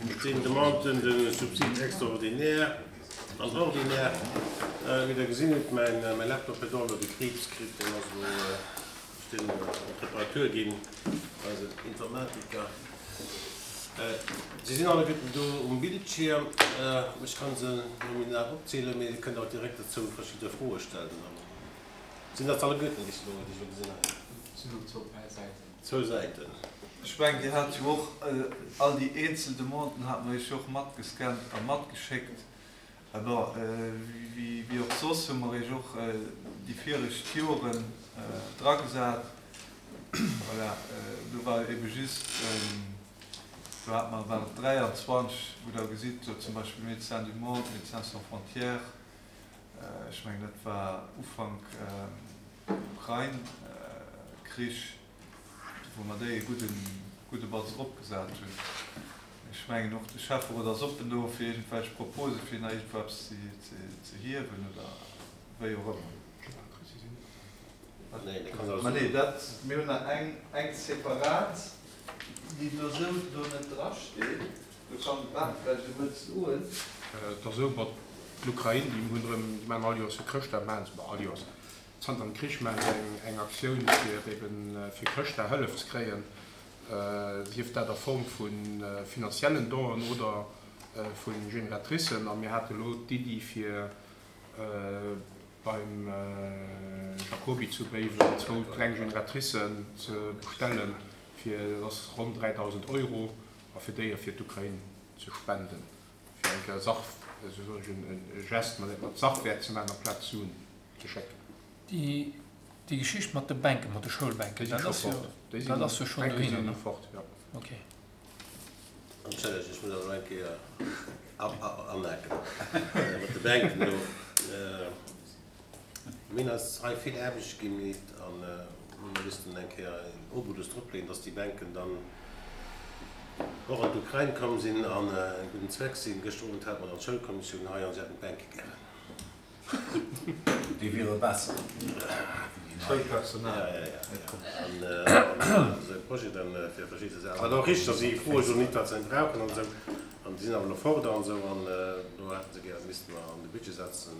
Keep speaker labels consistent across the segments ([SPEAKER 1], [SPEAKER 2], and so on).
[SPEAKER 1] Et sinn Demanden de subside extraordinaire an ordinaire. Wéi Der gesinn hutt, mäin Laptop huet och elo de Kriibs kritt. Deen ass elo, ech sinn op Reparatur ginn, eisen Informatiker. Se sinn alleguerten do um Bildschierm. Ech ka se nominal opzielen, mee Dir kënnt och direkt dozou verschidde Froe stellen. Sinn dat alleguerten, déi ech elo gesinn hunn?
[SPEAKER 2] Et sinn elo zwou Säiten.
[SPEAKER 1] Zwou Säiten.
[SPEAKER 2] Ech mengen, Dir hat jo och all déi eenzel Demanden hate mer Iech jo och matgescannt a matgeschéckt. Bon, wéi och soss hu mer Iech och déi viregt Joren dragesat. Voilà, do war ebe just, do hate mer, war et 23, wou Der gesitt, do zum Beispill Médecins du Monde, Médecins sans frontières, ech mengen, dat war Ufank Ukrain-Krich, wou mer déi e gudden, gudde Batz eropgesat hunn. Ech mengen och de Schäfferot ass oppen do fir iergendwelch Propose fir nach iergendwou eppes ze hiewen oder wéi och ëmmer. Ma nee, dat, mir hunn nach eng, eng separat, déi do esou do net drasteet. Do kann de Ben vläicht e Wuert soen.
[SPEAKER 3] Et ass esou, mat l'Ukrain, déi hunn erëm, déi maachen all Joers fir Chrëschtdag, maachen se, bon all Joers, zanter dem Krich maachen se eng, eng Aktioun fir eben fir Chrëschtdag Hëllef ze kréien, sief dat a Form vu finanziellen Donen oder vu Génératricen. A mir hate elo d'Iddi fir beim Jacoby zu Béiwen zwou kleng Génératricen ze bestellen, fir, dat ass ronn 3.000 Euro, a fir déi fir d'Ukrain ze spenden, fir eng Kéier Sach, esou soen ech, e Geste mat Sachwäert ze maachen, amplaz Suen ze schécken.
[SPEAKER 4] Déi Geschicht mat de Bänken, mat de Schoulbänken, dat ass jo, dat ass jo schonn dohinner, ne?
[SPEAKER 3] Fort, jo.
[SPEAKER 4] Ok.
[SPEAKER 1] Entschëllegt, ech muss awer elo eng Kéier anhaken mat de Bänken do. Mir hunn eis hei vill Aarbecht gemeet an hu mer missten eng Kéier een Obolus dropleeën, dass déi Bänken dann och an d'Ukrain komm sinn an en gudden Zweck sinn. Gëschter Owend hate mer dann d'Schoulkommissioun hei an si hätten d'Bänke gären.
[SPEAKER 5] Déi wiere besser wéi déi nei.
[SPEAKER 2] Schoulpersonal.
[SPEAKER 1] Ja, ja, ja. An esou e Projet dann fir verschidde Saachen. Wat och richteg ass, si froe jo nit, wat se brauchen an esou. An déi sinn awer elo fort an esou. An do hätte se gären, misste mer an de Budget setzen.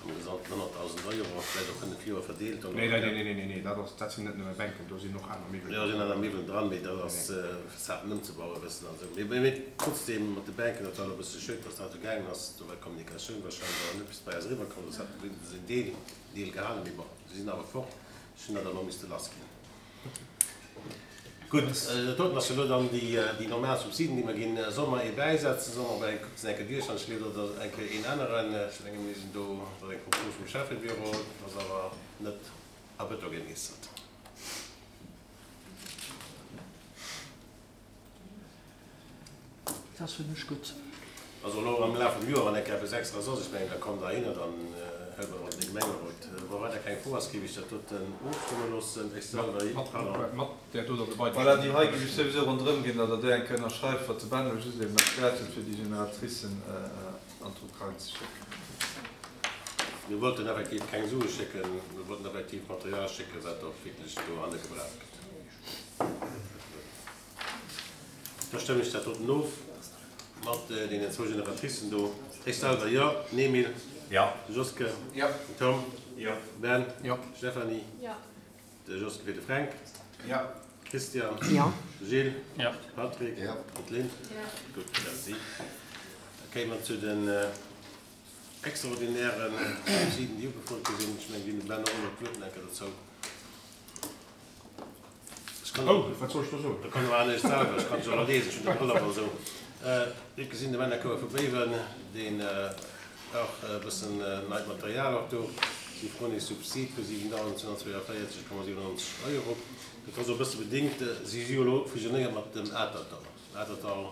[SPEAKER 1] Am Gesamten 100.000 Euro, vläicht op 5 Joer verdeelt.
[SPEAKER 3] Nee, nee, nee, nee, nee, dat ass, dat sinn net nëmme Bänken, do sinn och aner Miwwelen
[SPEAKER 1] dran. Jo, sinn aner Miwwelen dran, mee dat ass fir d'Saachen ëmzebauen e bëssen an esou. Mee, mee trotzdem, mat de Bänken, dat war elo e bësse schued, dass dat esou gaangen ass. Do war d'Kommunikatioun wahrscheinlech awer net bis bei eis eriwwerkomm, soss hätte mer se en Deel, Deel gehalen. Mee bon, se sinn awer fort, ech hunn dat elo misste lassginn. Gutt, dat doten ass jo elo dann déi normal Subsiden, déi mer ginn. Solle mer ee bäisetzen? Solle mer op eng, kuckt se eng Kéier duerch, an ech leet oder eng Kéier een änneren? Ech menge mir sinn do, dat ass eng Propos vum Schäffebüro, dat ass awer net a Bëto gemeesselt.
[SPEAKER 6] Dat ass fir mech gutt.
[SPEAKER 1] Also elo am Laf vum Joer, wann eng Kéier eppes Extraes ass, ech mengen, da kommt Der hinner, dann hëlt mer dat an de Gemengerot. Wa weider keng Fro ass, géif ech dat doten ofstëmme loossen. Ech selwer, pardon.
[SPEAKER 3] Mat där doter dobei.
[SPEAKER 2] Voilà, déi hei géif ech souwisou ronderëm ginn, datt Der déi eng Kéier ënnerschreift, wat de Ben elo just eben erkläert huet, fir déi Génératricen an d'Ukrain ze schécken.
[SPEAKER 1] Mir wollten effektiv keng Sue schécken, mir wollten effektiv Material schécken, wat och wierklech dohanne gebraucht gëtt. Da stëmme ech dat doten of mat deenen zwou Génératricen do. Ech selwer, jo. Den Emile?
[SPEAKER 5] Jo.
[SPEAKER 1] De Joske?
[SPEAKER 2] Jo.
[SPEAKER 1] Den Tom?
[SPEAKER 2] Jo.
[SPEAKER 1] De Ben?
[SPEAKER 3] Jo.
[SPEAKER 1] D'Stéphanie?
[SPEAKER 7] Jo.
[SPEAKER 1] De Joske fir de Fränk?
[SPEAKER 2] Jo.
[SPEAKER 1] Christian?
[SPEAKER 6] Jo.
[SPEAKER 1] De Gilles?
[SPEAKER 4] Jo.
[SPEAKER 1] De Patrick?
[SPEAKER 5] Jo.
[SPEAKER 1] An d'Lynn?
[SPEAKER 7] Jo.
[SPEAKER 1] Gutt, merci. Da kéime mer zu den extraordinären Subsiden, déi ugefrot gi sinn. Ech mengen, déi hunn de Ben och elo d'Wuert nach eng Kéier dozou.
[SPEAKER 3] Oh, wat soll ech do soen?
[SPEAKER 1] Da kann och anescht selwer, ech kann se och liesen, ech hunn de Brëll op an esou. Dir hutt gesinn, de Männerchouer vu Béiwen, deen brauch e bëssen neit Material och do. Si froen ee Subsid vu 7.242,97 Euro. Dat ass och e bësse bedéngt, si si jo elo fusionéiert mat dem Atertdall. Atertdall.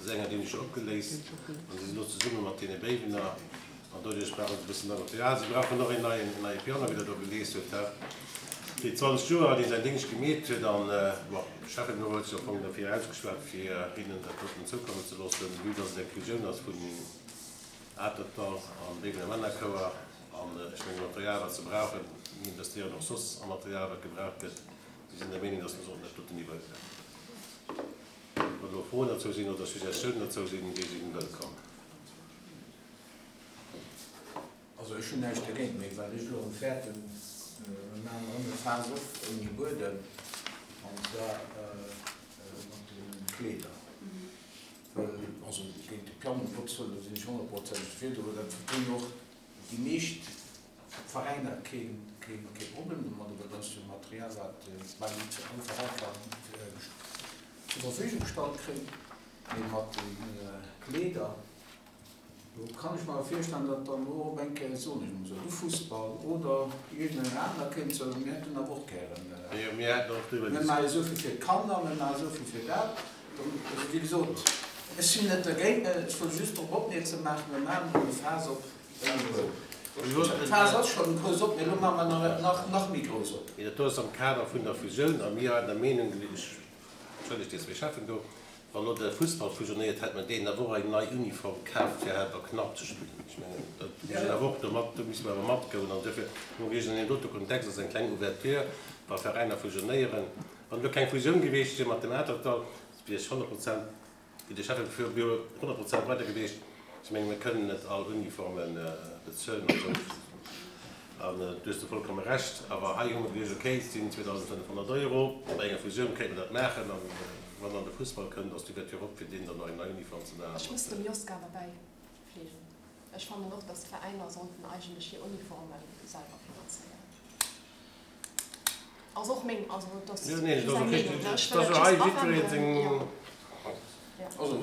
[SPEAKER 1] Sänger, déi hunn ech jo opgeléist an si sinn elo zesumme mat deene Béiwener an doduerch brauche se e bëssen nei Material. Si brauchen och een neien, en neie Piano, wéi Der do gelies hutt, he, fir 20 Joer, dee säin Déngscht gemeet huet an, bon, de Schäffebüro huet sech am Fong derfir ausgeschwat, fir hinnen dat doten zoukommen ze loossen, vue dass et eng Fusioun ass vun Atertdall an Béiwener Männerchouer an ech mengen, Material, wat se brauchen, mir investéieren och soss a Material, wat gebraucht gëtt. Si sinn der Meenung, dass mer sollten dat doten iwwer. Froen dozou sinn oder Suggestiounen dozou sinn, déi si wëllkomm.
[SPEAKER 6] Also ech hunn näischt dergéint, mee wat ech elo erëm fäerten, mir maachen erëm e Faass op ouni Buedem, an zwar mat de Kleeder. Well, also géint de Piano, um Gottes Wëllen, do sinn ech honnertprozenteg dofir, do dat hunn och déi meescht Veräiner kee Problem domadder, well dat ass jo Material, wat bal net all Veräi kann zur Verfügung gestallt kréien. Mee mat de Kleeder, Do kann ech mer awer virstellen, datt dann och op eng Kéier, soen ech emol esou, de Fussball oder iergendeng aner kéint soen, mir hätten awer och gären, mir maache esou vill fir d'Kanner, mir maache esou vill fir dat. Also, wéi gesot, ech sinn net dergéint, ech wëll just drop opmierksam maachen, mir maachen elo e Faass op ouni Buedem. D'Faass ass schonn grouss op, mee elo maache mer nach, nach méi grouss op.
[SPEAKER 1] Mee dat do ass am Kader vun der Fusioun a mir haten der Meenung, ech Entschëllegt déi zwéi Cheffen do. Wann elo de Fussball fusionéiert, hätt mer deenen awer och eng nei Uniform kaaft fir Helper Knapp ze spillen. Ech mengen, dat muss een awer och do mat, do misste mer awer matgoen. An duerfir hu mer geduecht, an deem dote Kontext ass eng kleng Ouverture, wa Veräiner fusionéieren. Wann elo keng Fusioun gewiescht wier mat dem Atertdall, wier ech 100 Prozent, wéi de Schäffen fir wier 100 Prozent weider gewiescht. Ech mengen, mir kënnen net all Uniforme bezuelen an esou. An du hues do vollkomme Recht. Awer hei hu mer geduecht, okay, et sinn 2.500 Euro, bei enger Fusioun kéint mer dat maachen. An wann dann de Fussball kënnt, ass d'Ouverture op, fir deenen dann nach eng nei Uniform ze maachen.
[SPEAKER 7] Ech muss dem Joska awer bäifliegen. Ech fannen och, dass d'Veräiner sollten eigentlech hir Uniforme selwer finanzéieren. Ass och meng, also et ass just eng Meenung, ne? Ech wëll et just awenden, jo.
[SPEAKER 6] Also,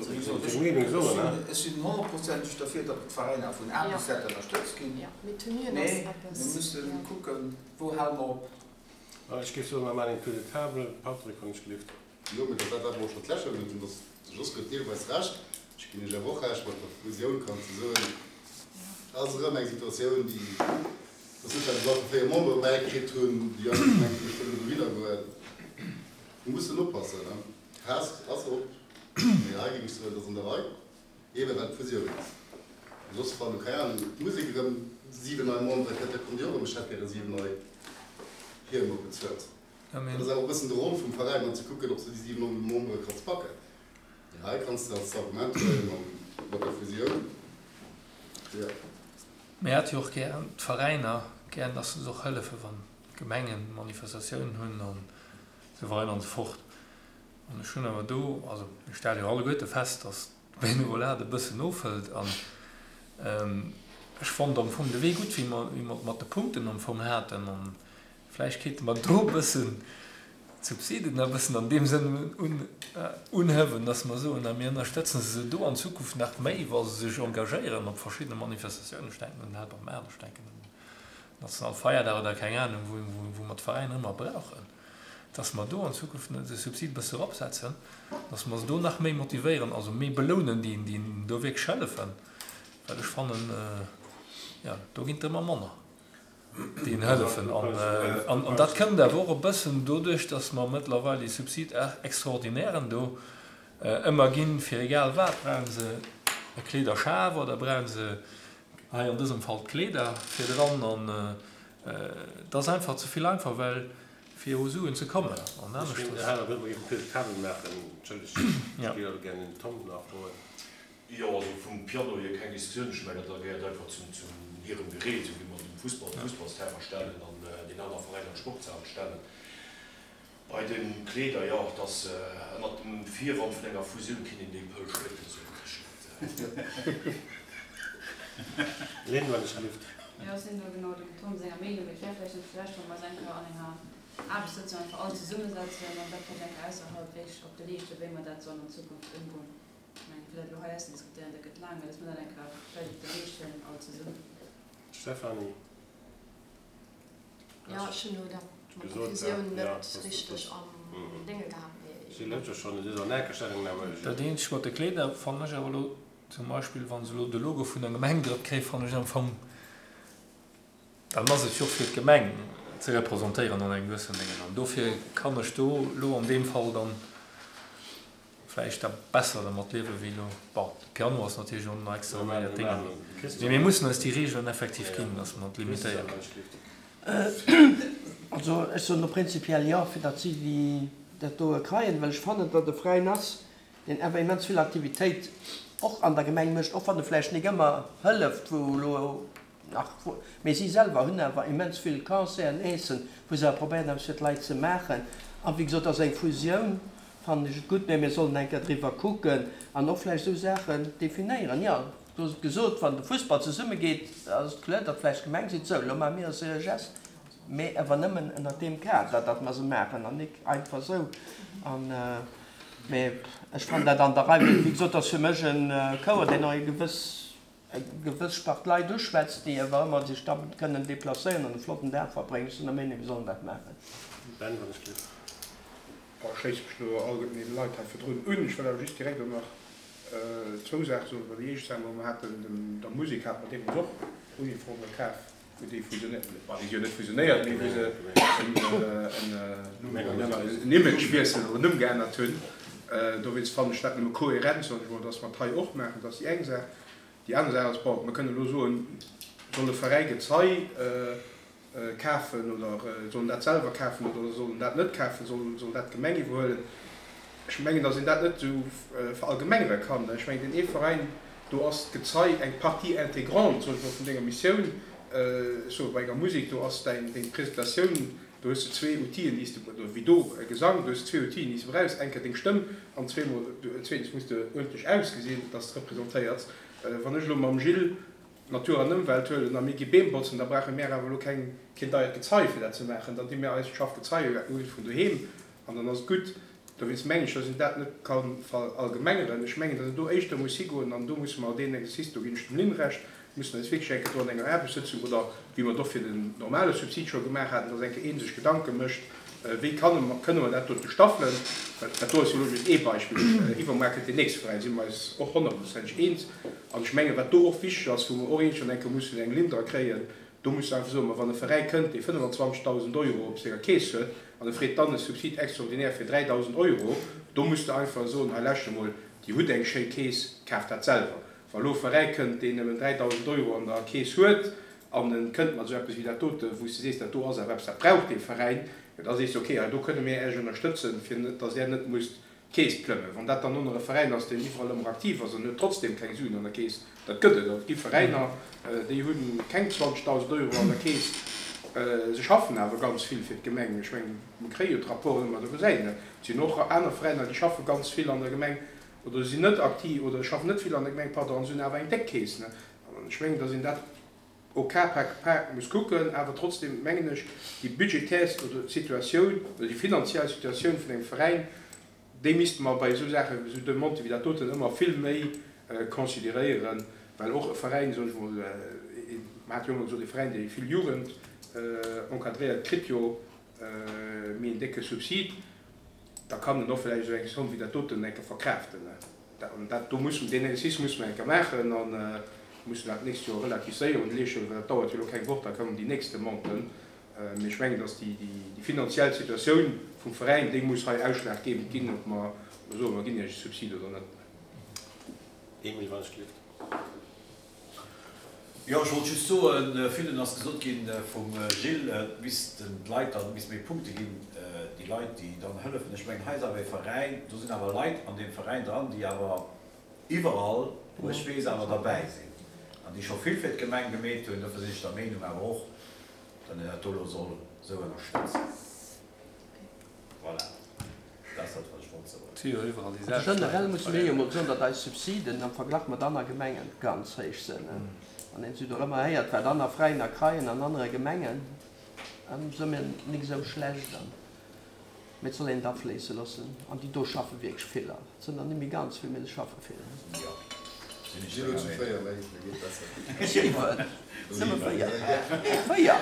[SPEAKER 6] wéi gesot, ech sinn honnertprozenteg derfir, datt d'Veräiner vun A bis Z ënnerstëtzt ginn, mee mir musse kucken, wou hale mer op.
[SPEAKER 1] Ech géif soen, mer maachen een Tour de table. Patrick, wann ech gelift.
[SPEAKER 8] Jo, mee dat war dat, wat mer och scho d'lescht Joer gesot hunn, dass de Jos huet deelweis Recht, ech ginn Iech awer och Recht, mat der Fusioun kanns de soen, ass erëm eng Situatioun, déi, dass net well se einfach 4 Membere bäikritt hunn, déi einfach mengen, ech wëll elo dohinner goen. Mir mussen oppassen, ne? D'Faass ass op, mee hei géing ech soen, et ass an der Rei, eebe well d'Fusioun ass. Soss, wann, keng Ahnung, d'Musek erëm 7 nei Membere kritt, da kommt déi och erëm, ech hätt gäre 7 nei Hiemer bezuelt. Dat ass awer och e bëssen de Rôle vum Veräin, dann ze kucken, ob se déi 7 Membere kanns packen. Mee hei kanns de als Argument huelen mat der Fusioun, jo.
[SPEAKER 4] Mir hätte jo och gär, d'Veräiner, gär, dass se och hëllefen, wann d'Gemengen Manifestatiounen hunn an esou weider an esou fort. An ech hunn awer do, also mir stelle jo alleguerte fest, dass d'Benevolat e bëssen ofhëlt an ech fonnt am Fong de Wee gutt, wéi mer, wéi mer et mat de Punkten am Fong haten. An Vläicht kéinte mer do e bëssen d'Subsiden e bëssen an deem Sënn unhëwen, dass mer soen, a mir ënnerstëtzen se do an Zukunft nach méi, wa se sech engagéieren op verschiddene Manifestatiounen, ech denken un den Helper Maart, ech denken un den Nationalfeierdag oder keng Ahnung, wou mer d'Veräiner ëmmer brauchen, dass mer do an Zukunft de Subsid e bësse eropsetzen, dass mer se do nach méi motivéieren, also méi belounen, déi do wierklech hëllefen, well ech fannen, jo, do ginn et ëmmer manner. Déi hëllefen. An dat kënnt awer och e bëssen doduerch, datt mer mëttlerweil déi Subside extraordinairen do ëmmer ginn, fir egal wat. Brauche se e Kleederschaf oder brauche se hei an dësem Fall d'Kleeder fir dran? An et ass einfach ze vill einfach, well fir u Suen ze kommen. An
[SPEAKER 1] aneschters. Ech géing de Här Wëll eben d'Tour de table maachen. Entschëllegt, ech géif awer gär den Tom nach froen.
[SPEAKER 5] Jo, also vum Piano hier keng Diskussioun. Ech mengen, dat gehéiert einfach zum hirem Gerät, esou wéi mer dem Fussball d'Fussballsterrain stellen an deen aner Veräiner d'Sportshal stellen. Bei de Kleeder, jo, et ass ënnert dem Virwand vun enger Fusioun kéint een déi Pëll splécken, soen ech net.
[SPEAKER 1] Lynn, wann ech gelift.
[SPEAKER 9] Jo, ech sinn do genau dem Tom senger Meenung. Et wär vläicht net schlecht, wa mer eis eng Kéier an enger Aarbechtssëtzung einfach all zesummesetzen an dat vläicht eng Kéier ausserhalb wéi op de Leescht, wéi mer dat sollen an Zukunft ëmgoen. Ech mengen, fir dat elo hei auszediskutéieren, dat gëtt laang, mä dass mer dat eng Kéier vläicht op de Leescht huelen, all zesummen.
[SPEAKER 1] Stéphanie.
[SPEAKER 7] Jo, ech hunn elo dat mat der Fusioun net richteg am Dénge gehat, mee.
[SPEAKER 1] Si lëscht jo schonn, et ass an enker Stellungnahme.
[SPEAKER 4] Dat eenzegt mat de Kleeder fannen ech awer elo, zum Beispill wa se elo de Logo vun der Gemeng drop kréien, fannen ech am Fong, dann ass et jo och fir d'Gemeng ze representéieren an engem gewëssenen Déngen. An dofir kann ech do elo an deem Fall dann vläicht da besser dermat liewen wéi elo. Bon, de Piano ass natierlech och nach extra neier Dénge, mee mir mussen eis déi Regeln effektiv ginn, dass mer et limitéieren.
[SPEAKER 10] Also ech soen do prinzipiell jo, fir datt si déi dat doe kreien, well ech fannen, datt e Veräin ass. Deen awer immens vill Aktivitéit och an der Gemeng mécht, och wann e vläicht nik ëmmer hëlleft, wou elo nach, mee si selwer hunn awer immens vill Concerten, Eessen, wou se awer probéieren eppes fir d'Leit ze maachen. A wéi gesot, ass eng Fusioun, fannen ech et gutt, mee mir sollen eng Kéier driwwer kucken an och vläicht esou Saachen definéieren. Jo, du hues et gesot, wann de Fussball zesummegeet, ass et kloer, datt vläicht d'Gemeng seet, sou, elo maache mir eis e Geste, mee awer nëmmen ënnert deem Kader, datt mer se maachen an nik einfach esou. An. Mee ech fannen dat an der Rei, well wéi gesot, ass fir mech e Chouer, deen och eng gewëss, eng gewëss Spart Leit uschwätzt, déi awer ëmmer sech da kënnen deplacéieren an e flotten Dag verbréngen. Ech sinn der Meenung, mir sollen dat maachen.
[SPEAKER 3] Ben, wann ech dierf. Bon, ech schléisse mech elo alleguerten deene Leit hei virdrun un. Ech wëll awer just direkt elo nach zwou Saache soen. Well déi éischt Saach, mer haten dem, der Musek hate mer deemools och Uniforme kaf. Wou déi fusionéiert, bon, déi si jo net fusionéiert, mee wou se en Imagewiessel oder en Numm geännert hunn. Dowéinst fannen ech dat nëmme kohärent, soen ech emol, dass mer et hei och maachen. Dat ass déi eng Saach. Déi aner Saach ass, bon, mer kënnen elo soen, soll e Veräi Gezei kafen oder soll en dat selwer kafen oder soll en dat net kafen, soll dat d'Gemeng iwwerhuelen? Ech mengen, dass een dat net esou verallgemengere kann. Ech mengen, deen ee Veräin, do ass d'Gezei eng Partie intégrante, soen ech mol, vun denger Missioun. Ech soe bei enger Musek, do ass däin, deng Presentatioun, do hues de zwee Outile, déi s de, oder wéi do e Gesang, do hues de zwee Outile, déi s de brauchs, eng Kéier deng Stëmm an zweemol, zweetens muss de uerdentlech ausgesinn, dass de representéiers. Wann ech elo mam Gilles Natur an Ëmwelt huelen a mir gi Beem botzen, da brauche mär awer elo keng, keen deiert Gezei fir dat ze maachen, dann di mär eist schafft Gezei u vun doheem an dann ass et gutt. Dowéinst mengen ech, dass een dat net ka verallgemengeren. Ech mengen, dass een do éischter muss higoen, an do musse mer deen Exercice, do ginn ech dem Lynn Recht, mussen eis wierklech eng Kéier do an enger Aarbechtssëtzung oder wéi mer et och fir den normale Subsid scho gemaach haten, dass eng Kéier ee sech Gedanke mécht, wéi kann, kënne mer dat dote staffelen. Well dat do ass jo elo just ee Beispill. Iwwermuer kënnt deen nächste Veräin, si mer eis och honnertprozenteg eens. An ech mengen, wat do och wichteg ass, wou mer och iergendwann eng Kéier mussen eng Linn dra kréien, Do muss de einfach soen, ma wann e Veräi kënnt, dee 25.000 Euro op senger Keess huet, an e freet dann e Subsid extraordinaire fir 3.000 Euro, do muss de einfach soen, hei lauschter mol, Dir hutt eng schéi Keess, kaaft dat selwer. Wa elo e Veräi kënnt, deen nëmmen 3.000 Euro an der Keess huet, an e kënnt mat esou eppes wéi dat dote, wou s de sees, dat do ass awer eppes, dat brauch dee Veräin, jo da sees de, okay, hei do kënne mir Iech ënnerstëtzen, fir datt Där net musst Keess plëmmen. Wann dat dann och nach e Veräin ass, deen iwwerall ëmmer aktiv ass an huet trotzdem keng Suen an der Keess, dat gëtt et. Et gi Veräiner, déi hu keng 20.000 Euro an der Keess, se schaffen awer ganz vill fir d'Gemeng. Ech mengen, mer kréie jo d'Rapporten ëmmer, do gesäit een dat. Et sinn och aner Veräiner, déi schaffe ganz vill an der Gemeng oder sinn net aktiv oder schaffen net vill an der Gemeng, pardon, an se hunn awer eng déck Keess. An ech mengen, datt een dat au cas par cas muss kucken, awer trotzdem mengen ech, déi budgetär Situatioun oder déi finanziell Situatioun vun engem Veräin, déi misste mer bei esou Saachen, esou Demandë wéi dat doten ëmmer vill méi consideréieren, well och e Veräin, soen ech emol, mer hate jo ëmmer gesot, e Veräin, dee vill Jugend encadréiert, kritt jo méi en décke Subsid, da kann en och vläicht esou eng Somme wéi dat doten eng Kéier verkraaften. An dat do mussen, deen Exercice musse mer eng Kéier maachen a mussen dat d'nächst Joer relativ séier un de Leescht huelen, well dat dauert jo elo keng Woch, da kommen déi nächst Demanden. Mee ech mengen, datt déi finanziell Situatioun vum Veräin, déi muss hei ausschlaggebend ginn, ob mer soen, mer ginn Iech e Subsid oder net.
[SPEAKER 1] Emile Walschlift.
[SPEAKER 5] Jo, ech wollt just soen, villen ass gesot ginn vum Gilles, et missten d'Leit dann, et misst méi Punkte ginn, déi Leit, déi dann hëllefen. Ech mengen, hei ass awer ee Veräin, do sinn awer Leit an deem Veräin dran, déi awer iwwerall, wou ech weess, awer derbäi sinn an déi scho vill fir d'Gemeng gemeet hunn. Dofir sinn ech der Meenung awer och, datt een dat do elo soll esou ënnerstëtzen. Voilà, dat ass dat, wat ech wollt soen.
[SPEAKER 4] Et si jo iwwerall déi selwecht
[SPEAKER 10] Leit. Generell musse mir jo mol soen, datt eis Subsiden am Verglach mat anner Gemengen ganz héich sinn. Wann een esou dorëmmer héiert, wat anner Veräiner kreien an anere Gemengen, si mir nik esou schlecht. Mee et soll een et afléisse loossen. An déi do schaffe wierklech vill. Et sinn der net méi ganz vill, mee se schaffe vill.
[SPEAKER 5] Jo, sinn ech
[SPEAKER 8] Sinn elo zu
[SPEAKER 5] denger
[SPEAKER 8] 4
[SPEAKER 5] Meenung.
[SPEAKER 8] méi, da geet besser.
[SPEAKER 10] Siwen, nëmme 4, nee 4, 8.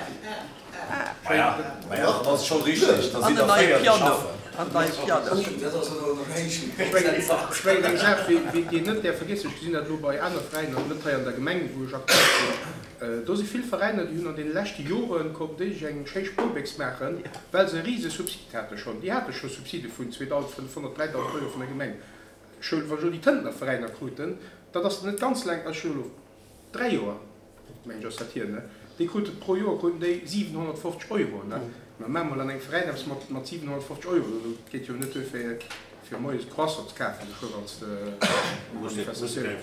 [SPEAKER 5] Maja, maja, dann ass et scho richteg, da
[SPEAKER 10] An
[SPEAKER 5] sinn
[SPEAKER 10] den
[SPEAKER 5] der
[SPEAKER 10] neie
[SPEAKER 5] 4, déi
[SPEAKER 10] Piano,
[SPEAKER 5] schaffen.
[SPEAKER 10] an den neie Piano.
[SPEAKER 6] Dat ass elo nach héich.
[SPEAKER 3] Ech mengen, ech mengen eng Saach, déi een net däerf vergiessen, ech gesinn dat elo bei aner Veräiner, net hei an der Gemeng, wou ech aktiv sinn, Do si vill Veräiner, déi hunn an deene leschte Jore konnten déi sech eng schéi Spuerbéchs maachen, well se e rise Subsid hate schonn. Déi hate scho Subside vun 2.500, 3.000 Euro vun der Gemeng. Ech hu, wann ech elo déi Tëntener Veräiner kruten, dat ass net ganz laang, ech hu elo 3 Joer, mengen ech ass dat hier, ne, déi krute pro Joer kruten déi 750 Euro, ne. Mä maach mol an engem Veräin eppes mat 750 Euro, dat geet jo net duer fir. Fir moies Croissant ze kafen, esou wann s de Manifestatioun.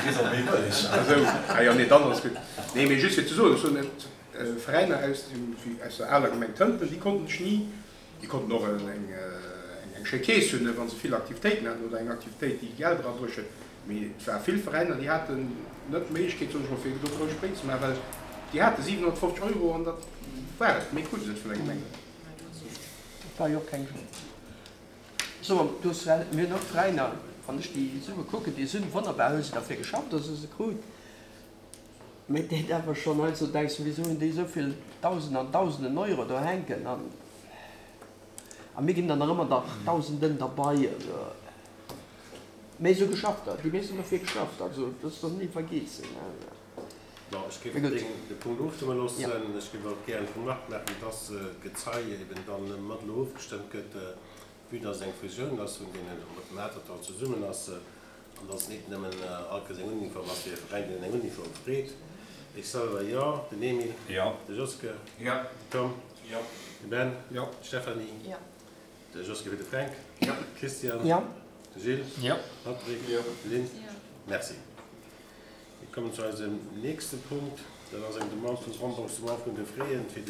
[SPEAKER 3] Esou, ah jo, nee, dann ass gutt. Nee, mee just fir ze soen, ech soen net, Veräiner aus dem, aus der aler Gemeng Tënten, déi konnten sech ni, déi konnten och eng, eng schéi Keess hunn, wa se vill Aktivitéiten haten oder eng Aktivitéit, déi Geld erabruecht huet, mee et war vill Veräiner, déi haten net d'Méiglechkeet, soen ech mol, fir do grouss Spréng ze maachen, well déi hate 750 Euro an dat war et, méi krute se net vun der Gemeng.
[SPEAKER 10] Dat war jo och keng. So, du hues well, mir hunn och Veräiner, wann ech déi Sue kucken, déi sinn wonnerbar, hu se derfir geschafft, datt se se krut, mä et deet awer schonn heiansdo, denks de, wisou hunn déi esou vill Dausenden an Dausenden Euro do hänken an a mir ginn der nach ëmmer der Dausenden derbei. Also, mä se hu geschafft, déi meescht hunn derfir geschafft, also dat soll een ni vergeessen.
[SPEAKER 1] Bon, ech géif de Punkt ofstëmme loossen. Ech géif och gären d'Remarque maachen, dass d'Gezei eben dann mat elo ofgestëmmt gëtt, vue dass et eng Fusioun ass vun deenen, mat dem Atertdall zesummen ass, an dass et nit nëmmen all Kéiers eng Uniform ass fir e Veräin, deen eng Uniform freet. Ech selwer, jo. Den Emile?
[SPEAKER 6] Jo.
[SPEAKER 1] De Joske?
[SPEAKER 6] Jo.
[SPEAKER 1] Den Tom?
[SPEAKER 6] Jo.
[SPEAKER 1] De Ben?
[SPEAKER 3] Jo.
[SPEAKER 1] D'Stéphanie?
[SPEAKER 7] Jo.
[SPEAKER 1] De Joske fir de Fränk?
[SPEAKER 3] Jo.
[SPEAKER 1] Christian?
[SPEAKER 10] Jo.
[SPEAKER 1] De Gilles?
[SPEAKER 4] Jo.
[SPEAKER 1] Patrick?
[SPEAKER 8] Jo.
[SPEAKER 1] Lynn? Jo. Merci. Mir kommen zu eisem nächste Punkt. Dat ass eng Demande vum Remboursement vun de Frais fir de.